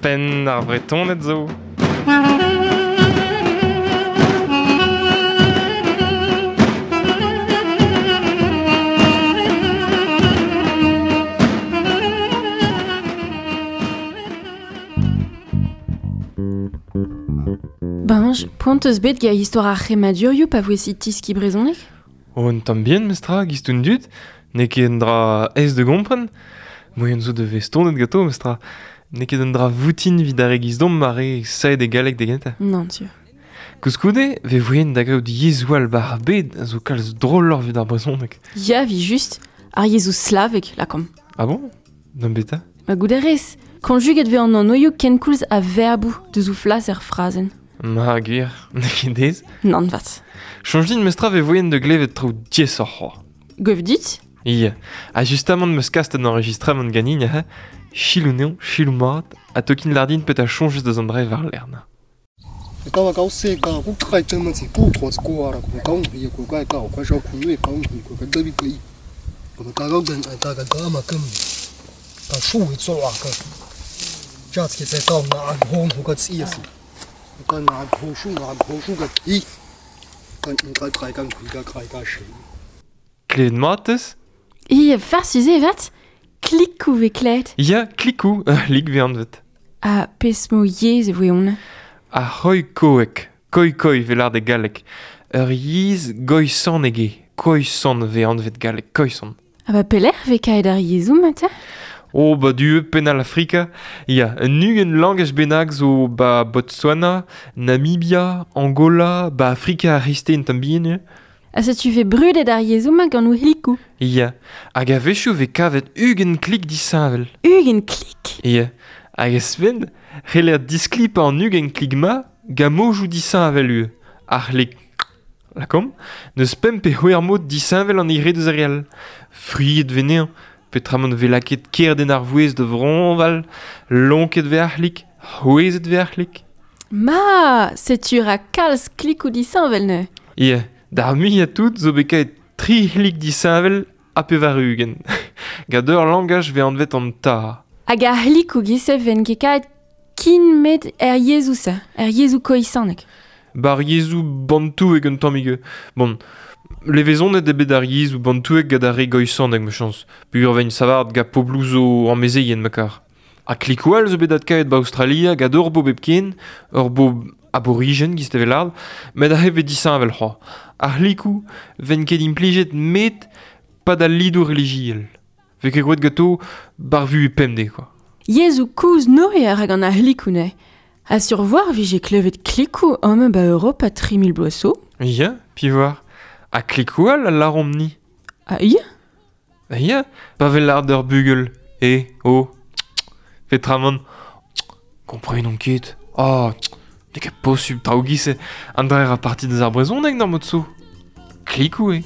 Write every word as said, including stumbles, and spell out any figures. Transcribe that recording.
Penn ar Vretoned zo. Benj, poent eus bet ga istor ar c'hemadurioù pa voe tiski brezhoneg? Oh, un tamm bien, mestra, giz un dud. N'eo ket un dra aes de gompren. Moien zo de vestonet gato, mestra. N'eo ket un dra voutin vid ar e giz domp ar e saet e galleg de genta. Nann, tu. Koulskoude, ve voien da gaout yezhoù all bar ar bed a zo kalz droloc'h vid ar brezhoneg. Ya, vi just, ar yezhoù slavek, lakomp. Ah bon? D'am beta? Ma goût a rez. Konjuget ve an anoioù kenkoulz a verboù deus o flas er frazenn. Ma gwir, n'eo ket dez. Nann vat. Soñj din mestra ve voien de glevet traoù diaesoc'h c'hoazh. Gwev dit? Ia, ha justamant meus kast an enregistramant ganin ha chilou neon, chilou mat, ha tokin lardin pet a choñjez deus an dre war lern. Klevet mat eus? Ia, farsus eo vat, klikou ve klevet. Ya, klikou, lik ve anvet. Ha pezh mo yezh e voe hon? Ar c'hoi-koek, koi-koi ve lard e galleg. Ur yezh goisan ege, koisan ve anvet galleg, koisan. Ha ba pelec'h ve kaet ar yezhoù matin? Oh, ba du penal Afrika. Ya, un ugent langaj bennak zo ba Botswana, Namibia, Angola, ba Afrika ar c'hreisteiz un tamm bihan eo. Ha setu ve brudet ar yezhoù-mañ gant o c'hlikoù. Ya, hag a-wechoù ve kavet ugent klik disheñvel. Ugent klik? Ya, hag a-sven, c'heller disklipañ an ugent klik-ma gant mojoù disheñvel eo. Ar c'hlik, lakomp, n'eus pemp pe c'hwec'h mod disheñvel an eil re deus ar re all. Friet ve neañ, petramant ve lakaet kerden ar vouezh da vroñval, lonket ve ar c'hlik, c'hwezhet ve ar c'hlik. Ma, setu ra kalz klikoù disheñvel neuze. Ya, d'ar muiañ tout zo bet kaet tri c'hlik disheñvel ha pevar ugent. Gant ur langaj ve anvet an ta. Hag ar c'hlikoù giz-se ven ket kaet kin met er yezhoù-se, er yezhoù koisanek. Bar yezhoù bantouek un tammig eo. Bon, levezonet eo bet ar yezhoù bantouek gant ar re goisanek ma chañs. Peogwir vein savart gant pobloù zo amezeien ma kar. Ha klikoù all zo bet adkaet ba Aostralia gant ur bobl hepken, ur bobl aborigen giz tevel ard, met ar c'hef ve disheñvel c'hoazh. Ar c'hlikoù ven ket implijet met pa d'al lidoù relijiel. Ve ket groet ganto bar vuhez pemdez quoi. Yezhoù kozh neuze a ra gant ar c'hlikoù neuze. Ha sur voir vije klevet klikoù amañ ba Europa tri mil bloaz zo. Ya, pi voir. Ha klikoù all a laromp-ni. Ah ya? Ah ya, pa vel lard ur bugel. E, o, petramant, komprenomp ket. Ah, n'eo ket posubl traoù giz-se. An dra a parti deus ar brezhoneg d'ar mod-so. Klikoù eo.